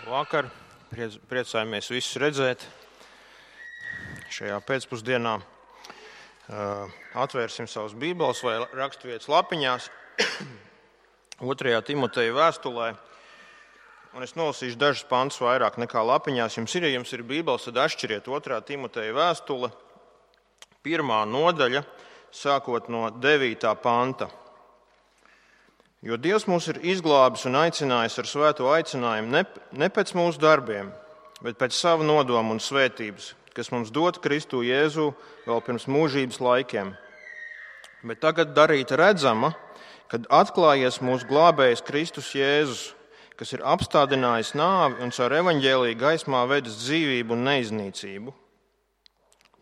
Vakar priecājamies visus redzēt šajā pēcpusdienā. Atvērsim savus bībeles vai raksturvietas lapiņās 2. Timoteja vēstulē. Un es nolasīšu dažus pantus vairāk nekā lapiņās. Ja jums ir bībeles, tad atšķiriet 2. Timoteja vēstule, 1. nodaļa, sākot no 9. panta. Jo Dievs mūs ir izglābis un aicinājis ar svēto aicinājumu ne pēc mūsu darbiem, bet pēc sava nodoma un svētības, kas mums dota Kristu Jēzu vēl pirms mūžības laikiem. Bet tagad darīta redzama, kad atklājies mūsu glābējs Kristus Jēzus, kas ir apstādinājis nāvi un caur evaņģēliju gaismā vedis dzīvību un neiznīcību.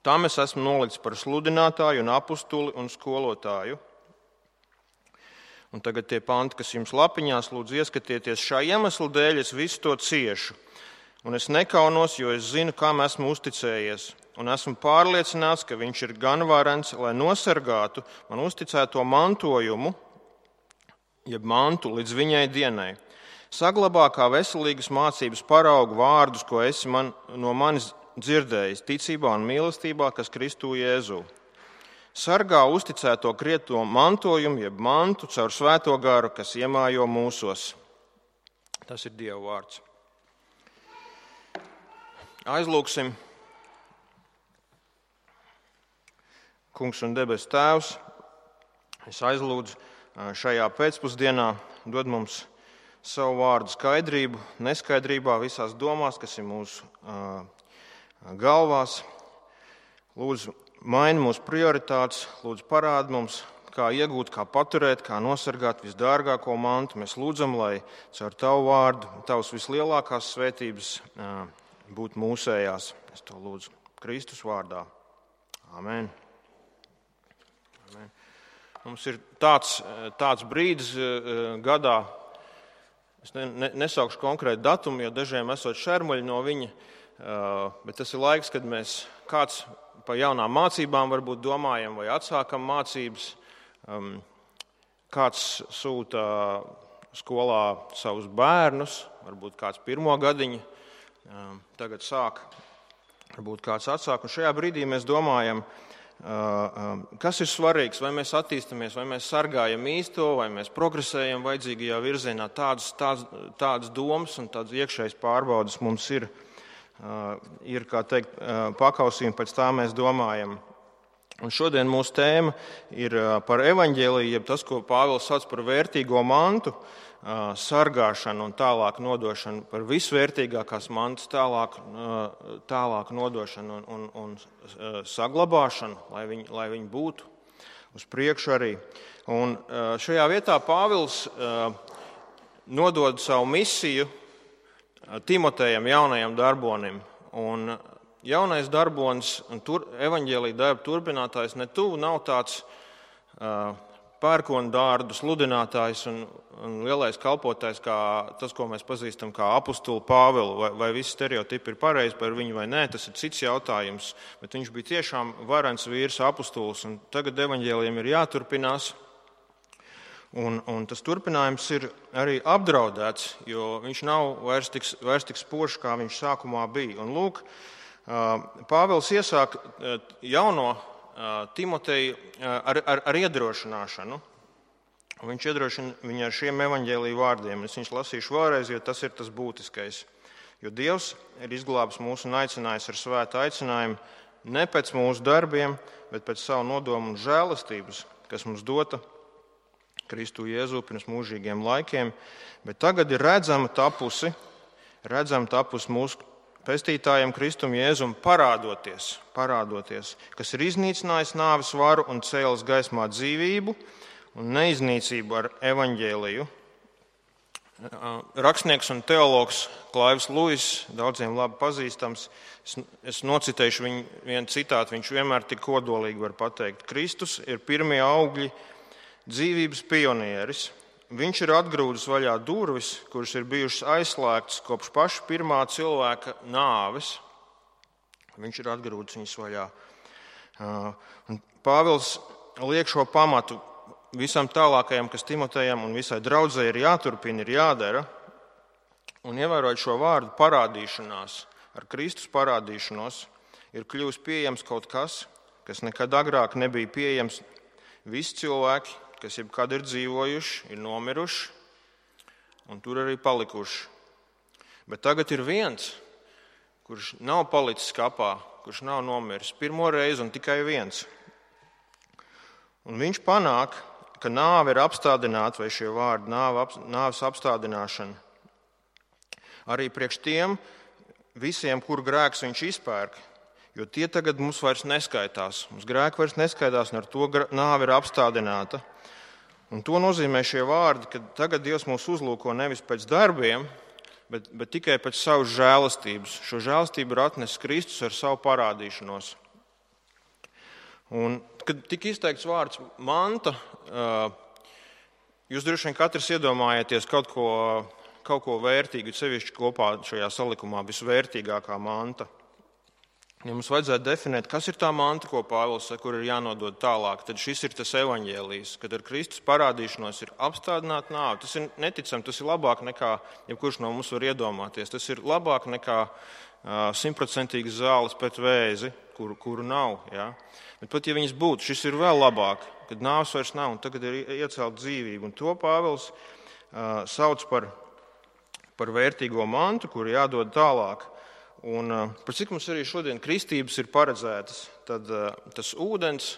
Tam es esmu nolikts par sludinātāju un apustuli un skolotāju. Un tagad tie panti, kas jums lapiņās, lūdzu ieskatieties, šā iemesla dēļ es visu to ciešu. Un es nekaunos, jo es zinu, kam esmu uzticējies. Un esmu pārliecināts, ka viņš ir gan varens, lai nosargātu man uzticēto mantojumu, jeb mantu līdz viņai dienai. Saglabā kā veselīgas mācības paraugu vārdus, ko esi no manis dzirdējis, ticībā un mīlestībā, kas Kristu Jēzu. Sargā uzticēto krieto mantojumu, jeb mantu, caur svēto garu, kas iemājo mūsos. Tas ir Dieva vārds. Aizlūksim. Kungs un debesu Tēvs, es aizlūdzu šajā pēcpusdienā dod mums savu vārdu skaidrību, neskaidrībā visās domās, kas ir mūsu galvās. Lūdzu, maini mūsu prioritātes, lūdzu parādi mums, kā iegūt, kā paturēt, kā nosargāt visdārgāko mantu. Mēs lūdzam, lai caur tavu vārdu, tavas vislielākās svētības būtu mūsējās. Es to lūdzu Kristus vārdā. Amen. Amen. Mums ir tāds brīdis gadā, es nesaukšu konkrētu datumu, jo dažiem esot šermuļi no viņa, bet tas ir laiks, kad mēs kāds par jaunām mācībām varbūt domājam vai atsākam mācības. Kāds sūta skolā savus bērnus, varbūt kāds pirmo gadiņu tagad sāk, varbūt kāds atsāk. Un šajā brīdī mēs domājam, kas ir svarīgs, vai mēs attīstamies, vai mēs sargājam īsto, vai mēs progresējam vajadzīgajā virzienā. Tādas domas un tādas iekšējas pārbaudas mums ir, kā teikt, pakausījumi, pēc tā mēs domājam. Un šodien mūsu tēma ir par evaņģēliju, jeb tas, ko Pāvils sauc par vērtīgo mantu, sargāšanu un tālāk nodošanu, par visvērtīgākās mantas tālāk nodošanu un saglabāšanu, lai viņi būtu uz priekšu arī. Un šajā vietā Pāvils nodod savu misiju Timotejam, jaunajam darbonim. Un jaunais darbonis un evaņģēlija darba turpinātājs ne tuvu nav tāds pērkonu dārdu sludinātājs un lielais kalpotājs, kā tas, ko mēs pazīstam kā apustuli Pāvilu. Vai visi stereotipi ir pareizi par viņu vai nē, tas ir cits jautājums. Bet viņš bija tiešām varens vīrs, apustulis, un tagad evaņģēlijam ir jāturpinās. Un tas turpinājums ir arī apdraudēts, jo viņš nav vairs tik spožs, kā viņš sākumā bija. Un lūk, Pāvils iesāk jauno Timoteju ar iedrošināšanu. Viņš iedrošina viņu ar šiem evaņģēlija vārdiem. Es viņus lasīšu vēlreiz, jo tas ir tas būtiskais. Jo Dievs ir izglābis mūs un aicinājis ar svētu aicinājumu ne pēc mūsu darbiem, bet pēc savu nodomu un žēlastības, kas mums dota Kristu Jēzu pirms mūžīgiem laikiem, bet tagad ir redzama tapusi mūsu pestītājiem Kristum Jēzum parādoties, kas ir iznīcinājis nāves varu un cēlis gaismā dzīvību un neiznīcību ar evaņģēliju. Rakstnieks un teologs Klaivs Luis, daudziem labi pazīstams, es nocitēšu vienu citātu, viņš vienmēr tik kodolīgi var pateikt. Kristus ir pirmie augļi, dzīvības pionieris. Viņš ir atgrūdis vaļā durvis, kuras ir bijušas aizslēgtas kopš paša pirmā cilvēka nāves. Viņš ir atgrūdis viņas vaļā. Pāvils liek šo pamatu visam tālākajam, kas Timotejam un visai draudzei ir jāturpina, ir jādara. Un ievērojot šo vārdu parādīšanās, ar Kristus parādīšanos, ir kļuvis pieejams kaut kas, kas nekad agrāk nebija pieejams. Visi cilvēki, kas jebkad ir dzīvojuši, ir nomiruši un tur arī palikuši. Bet tagad ir viens, kurš nav palicis kapā, kurš nav nomiris pirmo reizi un tikai viens. Un viņš panāk, ka nāve ir apstādināta, vai šie vārdi nāves apstādināšana. Arī priekš tiem visiem, kur grēks viņš izpērk, jo tie tagad mums vairs neskaitās. Mums grēki vairs neskaitās, un ar to nāve ir apstādināta. Un to nozīmē šie vārdi, ka tagad Dievs mūs uzlūko nevis pēc darbiem, bet tikai pēc savas žēlastības. Šo žēlastību ir atnesis Kristus ar savu parādīšanos. Un, kad tika izteikts vārds manta, jūs droši vien katrs iedomājieties kaut ko vērtīgu, sevišķi kopā šajā salikumā visvērtīgākā manta. Ja mums vajadzētu definēt, kas ir tā manta, ko Pāvils saka, kur ir jānodod tālāk, tad šis ir tas evaņģēlijs, kad ar Kristus parādīšanos ir apstādināta nāve. Tas ir neticami, tas ir labāk nekā jebkurš no mums var iedomāties. Tas ir labāk nekā 100% zāles pret vēzi, kuru nav. Ja? Bet pat ja viņas būtu, šis ir vēl labāk, kad nāves vairs nav un tagad ir iecelt dzīvību. Un to Pāvils sauc par vērtīgo mantu, kuru jādod tālāk. Un par cik mums arī šodien kristības ir paredzētas, tad tas ūdens,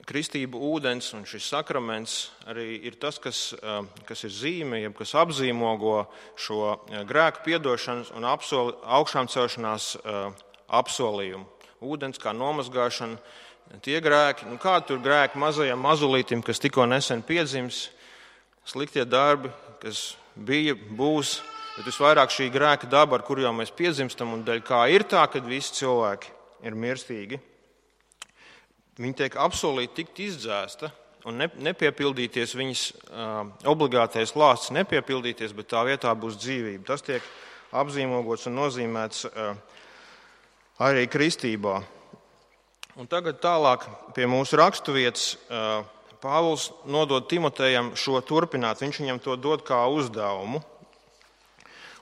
kristību ūdens un šis sakraments arī ir tas, kas ir zīme, jeb kas apzīmogo šo grēku piedošanas un augšām celšanās apsolījumu. Ūdens kā nomazgāšana, tie grēki, kā tur grēki mazajam mazulītim, kas tikko nesen piedzims, sliktie darbi, kas bija, būs, bet visvairāk šī grēka daba, ar kuru jau mēs piedzimstam, un dēļ kā ir tā, kad visi cilvēki ir mirstīgi, viņi tiek apsolīti tikt izdzēsta un nepiepildīties viņas obligātais lāsts, nepiepildīties, bet tā vietā būs dzīvība. Tas tiek apzīmogots un nozīmēts arī kristībā. Un tagad tālāk pie mūsu raksturvietas Pāvils nodod Timotejam šo turpināt. Viņš viņam to dod kā uzdevumu.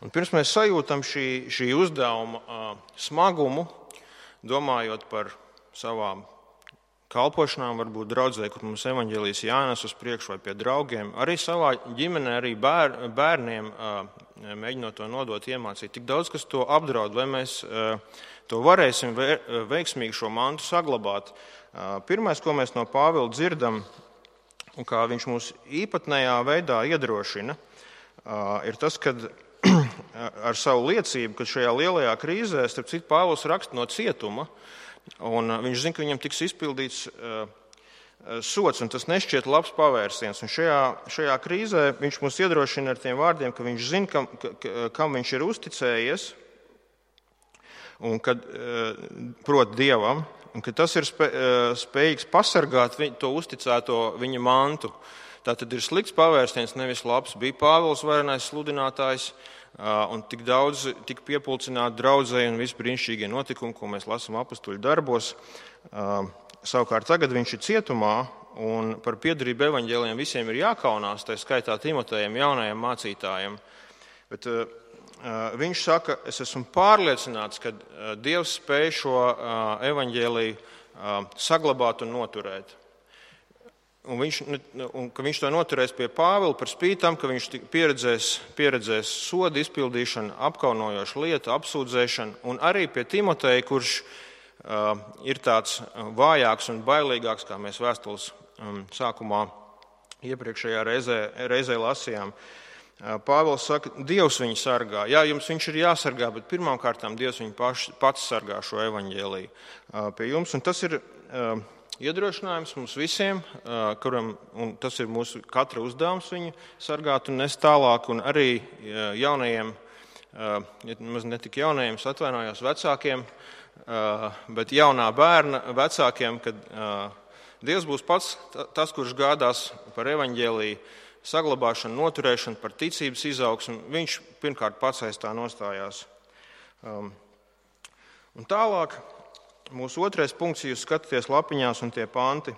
Un pirms mēs sajūtam šī uzdevuma smagumu, domājot par savām kalpošanām, varbūt draudzē, kur mums evaņģēlijs jānes uz priekšu vai pie draugiem, arī savā ģimenē, arī bērniem mēģinot to nodot, iemācīt. Tik daudz, kas to apdraud, vai mēs to varēsim veiksmīgi šo mantu saglabāt. Pirmais, ko mēs no Pāvila dzirdam, un kā viņš mūs īpatnējā veidā iedrošina, ir tas, ka ar savu liecību, ka šajā lielajā krīzē, starp citu, Pāvils raksta no cietuma, un viņš zina, ka viņam tiks izpildīts sots, un tas nešķiet labs pavērsiens. Un šajā krīzē viņš mūs iedrošina ar tiem vārdiem, ka viņš zina, kam viņš ir uzticējies, un kad, proti Dievam, un ka tas ir spējīgs pasargāt to uzticēto viņa mantu. Tā tad ir slikts pavērsiens, nevis labs. Bija Pāvils varenais sludinātājs, un tik daudz tika piepulcināti draudzēji un visi brīnišķīgie notikumi, ko mēs lasām apustuļu darbos. Savukārt tagad viņš ir cietumā, un par piederību evaņģēlijiem visiem ir jākaunās, tā skaitā Timotejam, jaunajam mācītājam. Bet viņš saka, es esmu pārliecināts, ka Dievs spēj šo evaņģēliju saglabāt un noturēt. Un ka viņš to noturēs pie Pāvila par spīti tam, ka viņš pieredzēs sodu izpildīšanu, apkaunojošu lietu, apsūdzēšanu, un arī pie Timoteja, kurš ir tāds vājāks un bailīgāks, kā mēs vēstules sākumā iepriekšējā reizē lasījām. Pāvils saka, Dievs viņu sargā. Jā, jums viņš ir jāsargā, bet pirmām kārtām Dievs viņu pats sargā šo evaņģēliju pie jums. Un tas ir iedrošinājums mums visiem, un tas ir mūsu katra uzdevums viņu sargāt un nest tālāk, un arī jaunajiem, ne tik jaunajiem, es atvainojos vecākiem, bet jaunā bērna vecākiem, kad Dievs būs pats tas, kurš gādās par evaņģēliju saglabāšanu, noturēšanu, par ticības izaugsmu. Viņš pirmkārt pats aiz tā nostājās. Un tālāk mūsu otrais punkts, ja jūs skatāties lapiņās un tie panti,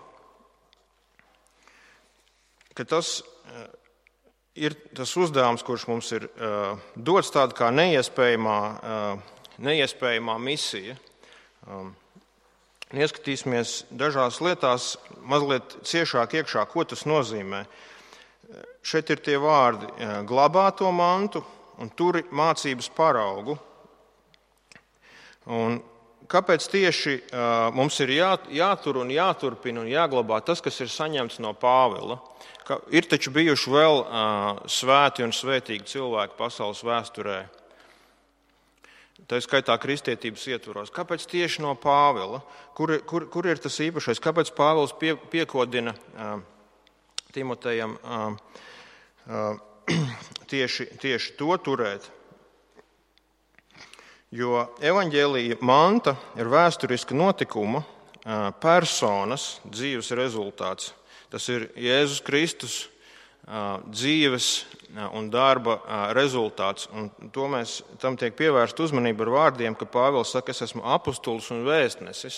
ka tas ir tas uzdevums, kurš mums ir dots tāda kā neiespējamā misija. Ieskatīsimies dažās lietās mazliet ciešāk iekšā, ko tas nozīmē. Šeit ir tie vārdi glabā to mantu un turi mācības paraugu. Un kāpēc tieši mums ir jātur un jāturpina un jāglabā tas, kas ir saņemts no Pāvila? Ir taču bijuši vēl svēti un svētīgi cilvēki pasaules vēsturē, tā skaitā kristietības ietvaros. Kāpēc tieši no Pāvila? Kur ir tas īpašais? Kāpēc Pāvils piekodina Timotejam tieši to turēt? Jo evaņģēlija manta ir vēsturiska notikuma, personas dzīves rezultāts. Tas ir Jēzus Kristus dzīves un darba rezultāts. Un tam tiek pievērsta uzmanība ar vārdiem, ka Pāvils saka, es esmu apostols un vēstnesis.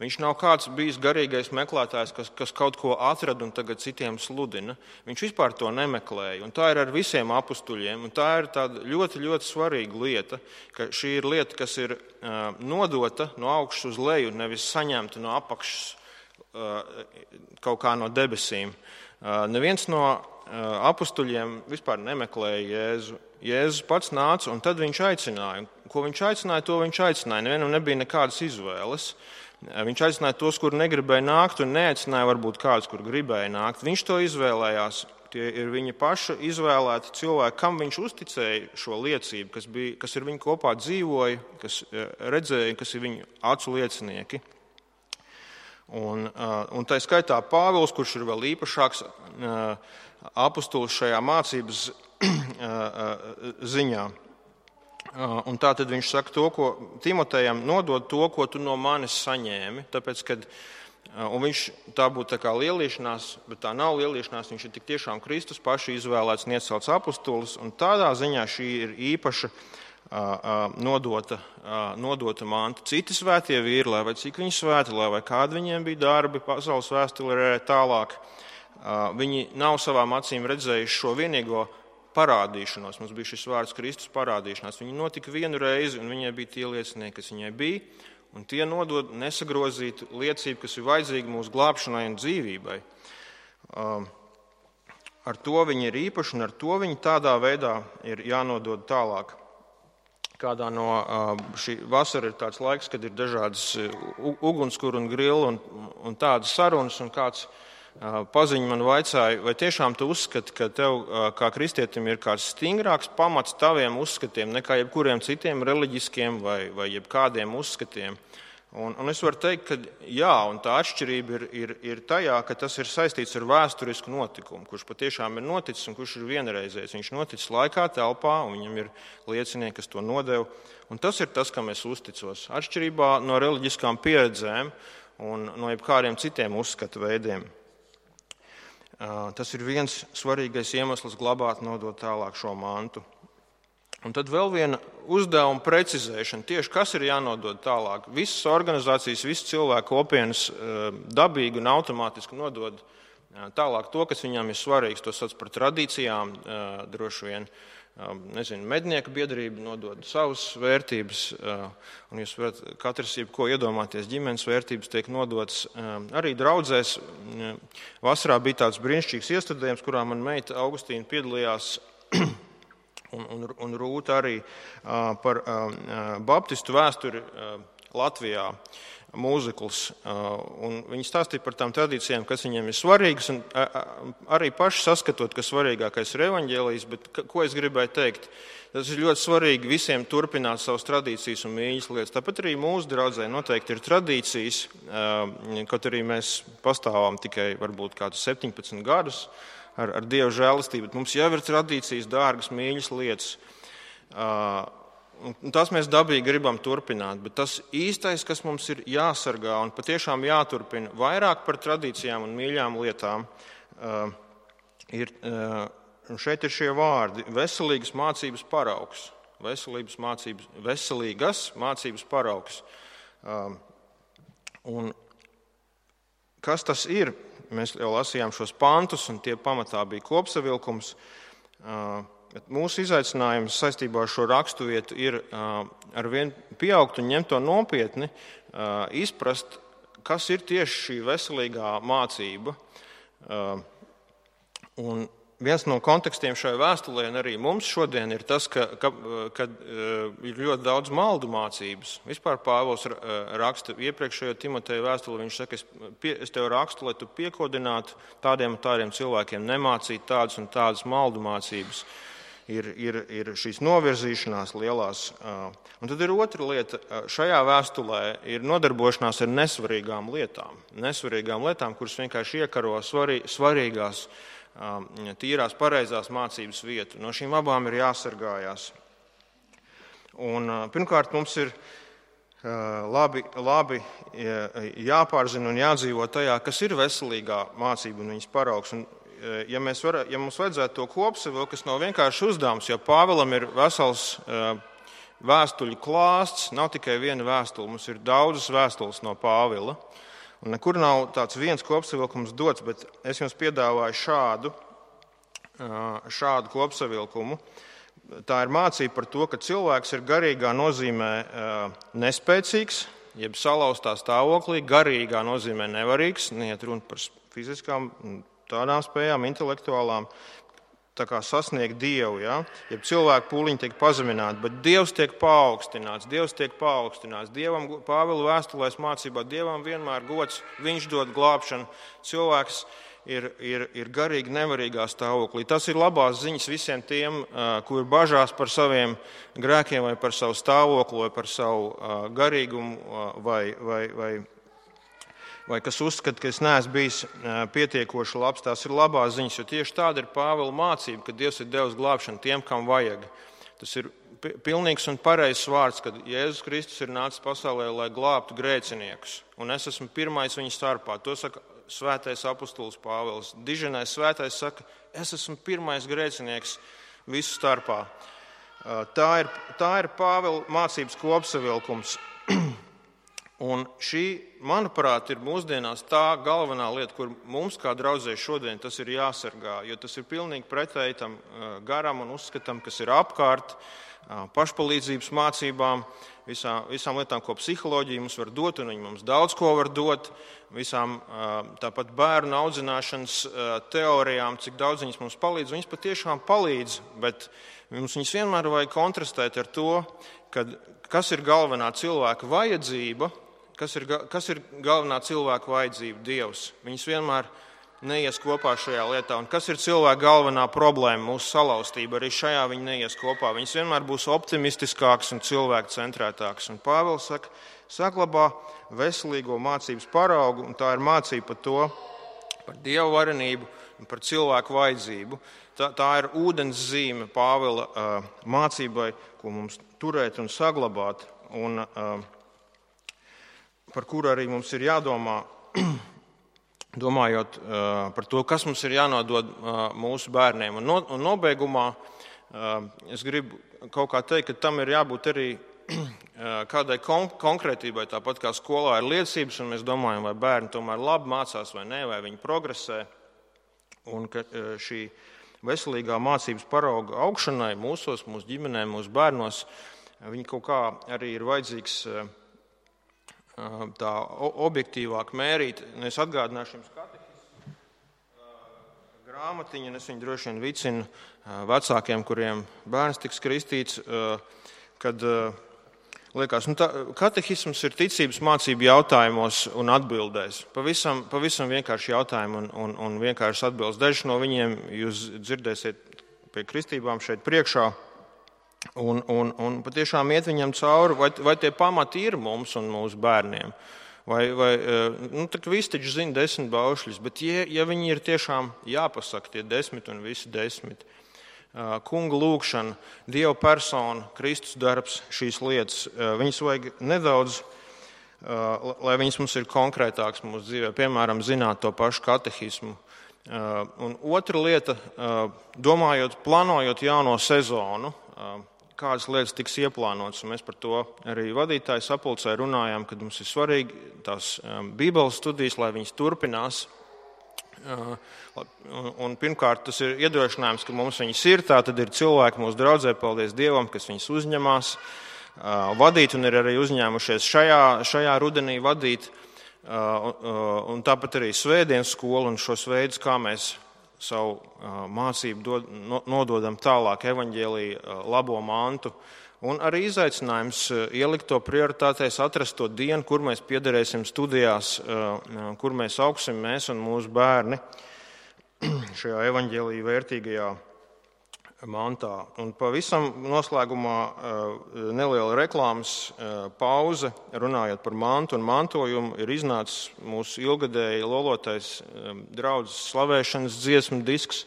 Viņš nav kāds bijis garīgais meklētājs, kas kaut ko atrada un tagad citiem sludina. Viņš vispār to nemeklēja. Un tā ir ar visiem apustuļiem. Un tā ir tāda ļoti, ļoti svarīga lieta, ka šī ir lieta, kas ir nodota no augšas uz leju, nevis saņemta no apakšas kaut kā no debesīm. Neviens no apustuļiem vispār nemeklēja Jēzu. Jēzus pats nāca un tad viņš aicināja. Ko viņš aicināja, to viņš aicināja. Nevienam nebija nekādas izvēles. Viņš aicināja tos, kuri negribēja nākt, un neaicināja varbūt kādus, kur gribēja nākt. Viņš to izvēlējās. Tie ir viņa paša izvēlēti cilvēki, kam viņš uzticēja šo liecību, kas ir viņa kopā dzīvoja, kas redzēja, kas ir viņa acu liecinieki. Un tā skaitā Pāvils, kurš ir vēl īpašāks apustulis šajā mācības ziņā. Un tā tad viņš saka to, ko Timotejam nodod to, ko tu no manis saņēmi, tāpēc, tā būtu tā kā lielīšanās, bet tā nav lielīšanās, viņš ir tik tiešām Kristus paši izvēlēts un iecelts apustulis, un tādā ziņā šī ir īpaša nodota manta. Citi svētie vīri, lai vai cik viņi svēti, lai vai kādi viņiem bija darbi pasaules vēsturē tālāk, viņi nav savām acīm redzējuši šo vienīgo parādīšanos. Mums bija šis vārds Kristus parādīšanās. Viņa notika vienu reizi, un viņai bija tie liecinieki, kas viņai bija, un tie nodod nesagrozītu liecību, kas ir vajadzīga mūsu glābšanai un dzīvībai. Ar to viņi ir īpaši, un ar to viņi tādā veidā ir jānodod tālāk. Kādā no šī vasara ir tāds laiks, kad ir dažādas ugunskura un grila un tādas sarunas, un kāds paziņa man vaicāja, vai tiešām tu uzskati, ka tev kā kristietim ir kāds stingrāks pamats taviem uzskatiem nekā jebkuriem citiem reliģiskiem vai jebkādiem uzskatiem. Un es varu teikt, ka jā, un tā atšķirība ir tajā, ka tas ir saistīts ar vēsturisku notikumu, kurš patiešām ir noticis un kurš ir vienreizējs. Viņš noticis laikā, telpā, un viņam ir liecinieki, kas to nodeva. Un tas ir tas, kam es uzticos. Atšķirībā no reliģiskām pieredzēm un no jebkādiem citiem uzskatu veidiem. Tas ir viens svarīgais iemesls glabāt, nodot tālāk šo mantu. Un tad vēl viena uzdevuma precizēšana. Tieši kas ir jānodod tālāk? Visas organizācijas, visas cilvēku kopienas dabīgi un automātiski nodod tālāk to, kas viņām ir svarīgs. To sauc par tradīcijām, droši vien. Mednieku biedrība nodod savas vērtības, un jūs varat katrs jebko iedomāties, ģimenes vērtības tiek nodotas arī draudzēs. Vasarā bija tāds brīnišķīgs iestudējums, kurā man meita Augustīna piedalījās, un Rūta arī par baptistu vēsturi Latvijā. Mūzikls, un viņi stāstīja par tām tradīcijām, kas viņiem ir svarīgas, un arī paši saskatot, ka svarīgākais ir evaņģēlijs, bet ko es gribēju teikt? Tas ir ļoti svarīgi visiem turpināt savas tradīcijas un mīļas lietas. Tāpat arī mūsu draudzē noteikti ir tradīcijas, kaut arī mēs pastāvām tikai varbūt kādus 17 gadus ar Dieva žēlastību, bet mums jau ir tradīcijas, dārgas, mīļas lietas. Un tas mēs dabīgi gribam turpināt, bet tas īstais, kas mums ir jāsargā un patiešām jāturpina vairāk par tradīcijām un mīļām lietām, šeit ir šie vārdi - veselīgas mācības paraugs. Veselīgas mācības paraugs. Un kas tas ir? Mēs jau lasījām šos pantus, un tie pamatā bija kopsavilkums. Mūsu izaicinājums saistībā ar šo raksturvietu ir arvien pieaugt un ņemt to nopietni, izprast, kas ir tieši šī veselīgā mācība. Un viens no kontekstiem šai vēstulē un arī mums šodien ir tas, ka ir ļoti daudz maldu mācības. Vispār Pāvils raksta iepriekšējo Timoteja vēstuli, viņš saka, es tev rakstu, lai tu piekodinātu tādiem un tādiem cilvēkiem, nemācīt tādas un tādas maldu mācības. Ir šīs novirzīšanās lielās. Un tad ir otra lieta. Šajā vēstulē ir nodarbošanās ar nesvarīgām lietām, kuras vienkārši iekaro svarīgās, tīrās, pareizās mācības vietu. No šīm abām ir jāsargājās. Un, pirmkārt, mums ir labi jāpārzina un jādzīvo tajā, kas ir veselīgā mācība un viņas paraugs. Un, ja mums vajadzētu to kopsavilkt, kas nav vienkārši uzdevums, jo Pāvilam ir vesels vēstuļu klāsts, nav tikai viena vēstule, mums ir daudzas vēstules no Pāvila. Un nekur nav tāds viens kopsavilkums dots, bet es jums piedāvāju šādu kopsavilkumu. Tā ir mācība par to, ka cilvēks ir garīgā nozīmē nespēcīgs, jeb salauztā stāvoklī, garīgā nozīmē nevarīgs, neiet runa par fiziskām tādām spējām, intelektuālām, tā kā sasniegt Dievu. Ja? Jeb cilvēku pūliņi tiek pazemināti, bet Dievs tiek paaugstināts. Dievam, Pāvila vēstulēs mācībā, Dievam vienmēr gods, viņš dod glābšanu. Cilvēks ir garīgi nevarīgā stāvoklī. Tas ir labās ziņas visiem tiem, kuri bažās par saviem grēkiem vai par savu stāvokli vai par savu garīgumu vai kas uzskata, ka es neesmu bijis pietiekoši labs. Tās ir labās ziņas, jo tieši tāda ir Pāvila mācība, ka Dievs ir devis glābšanu tiem, kam vajag. Tas ir pilnīgs un pareizs vārds, kad Jēzus Kristus ir nācis pasaulē, lai glābtu grēciniekus. Un es esmu pirmais viņa starpā. To saka svētais apostols Pāvils. Diženais svētais saka, es esmu pirmais grēcinieks visu starpā. Tā ir Pāvila mācības kopsavilkums. Un šī, manuprāt, ir mūsdienās tā galvenā lieta, kur mums kā draudzē šodien tas ir jāsargā, jo tas ir pilnīgi pretēji tam garam un uzskatam, kas ir apkārt, pašpalīdzības mācībām, visām lietām, ko psiholoģija mums var dot, un viņi mums daudz ko var dot, visām tāpat bērnu audzināšanas teorijām, cik daudz viņas mums palīdz. Viņas patiešām palīdz, bet mums viņas vienmēr vajag kontrastēt ar to, kas ir galvenā cilvēka vajadzība. Kas ir galvenā cilvēka vajadzība? Dievs. Viņas vienmēr neies kopā šajā lietā. Un kas ir cilvēka galvenā problēma, mūsu salauztība? Arī šajā viņi neies kopā. Viņas vienmēr būs optimistiskākas un cilvēku centrētākas. Un Pāvils saka, saglabā veselīgo mācības paraugu, un tā ir mācība par to, par Dievu varenību un par cilvēku vajadzību. Tā ir ūdens zīme Pāvila mācībai, ko mums turēt un saglabāt. Un par kuru arī mums ir jādomā, domājot par to, kas mums ir jānodod mūsu bērniem. Un nobeigumā es gribu kaut kā teikt, ka tam ir jābūt arī kādai konkrētībai, tāpat kā skolā ir liecības, un mēs domājam, vai bērni tomēr labi mācās vai nē, vai viņi progresē. Un ka šī veselīgā mācības parauga augšanai mūsos, mūsu ģimenē, mūsu bērnos, viņi kaut kā arī ir vajadzīgs tā objektīvāk mērīt. Es atgādināšu jums katehismu grāmatiņu, un es viņu droši vien vicinu vecākiem, kuriem bērns tiks kristīts, kad liekas, katehisms ir ticības mācību jautājumos un atbildēs. Pavisam vienkārši jautājumi un vienkārši atbildes. Dažs no viņiem jūs dzirdēsiet pie kristībām šeit priekšā. Un patiešām iet viņam cauri, vai tie pamati ir mums un mūsu bērniem. Visi taču zina 10 baušļus, bet ja viņi ir tiešām jāpasaka tie 10 un visi 10. Kunga lūgšana, Dieva persona, Kristus darbs, šīs lietas, viņas vajag nedaudz, lai viņas mums ir konkrētākas mūsu dzīvē, piemēram, zināt to pašu katehismu. Un otra lieta, plānojot jauno sezonu, kādas lietas tiks ieplānotas, un mēs par to arī vadītāju sapulcē runājām, kad mums ir svarīgi tās Bībeles studijas, lai viņas turpinās, Un pirmkārt, tas ir iedrošinājums, ka mums viņas ir. Tā tad ir cilvēki mūsu draudzē, paldies Dievam, kas viņas uzņemās vadīt un ir arī uzņēmušies šajā rudenī vadīt. Un tāpat arī svētdienas skola un šos veidus, kā mēs savu mācību nododam tālāk evaņģēlija labo mantu. Un arī izaicinājums ielikt to prioritātēs, atrast to dienu, kur mēs piederēsim studijās, kur mēs augsim mēs un mūsu bērni šajā evaņģēlija vērtīgajā mantā. Un pavisam noslēgumā neliela reklāmas pauze, runājot par mantu un mantojumu, ir iznācis mūsu ilgadēji lolotais draudzes slavēšanas dziesmu disks.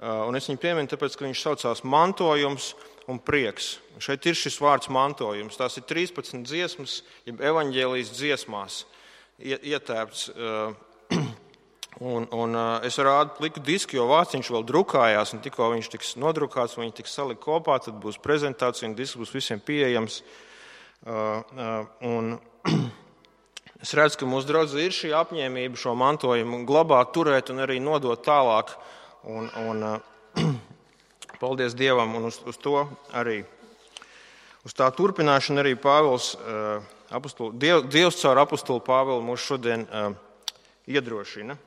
Un es viņu pieminu, tāpēc, ka viņš saucās Mantojums un prieks. Šeit ir šis vārds mantojums. Tās ir 13 dziesmas, jeb evaņģēlijas dziesmās ietērpts. Un es rādu pliku disku, jo vārds vēl drukājās, un tikko viņš tiks nodrukāts, un viņš tiks salikt kopā, tad būs prezentācija, un disks būs visiem pieejams. Un es redzu, ka mūsu draudzē ir šī apņēmība šo mantojumu glabāt, turēt un arī nodot tālāk. Un paldies Dievam, un uz to arī, uz tā turpināšanu arī Pāvils, Dievs caur apostulu Pāvilu mūs šodien iedrošina.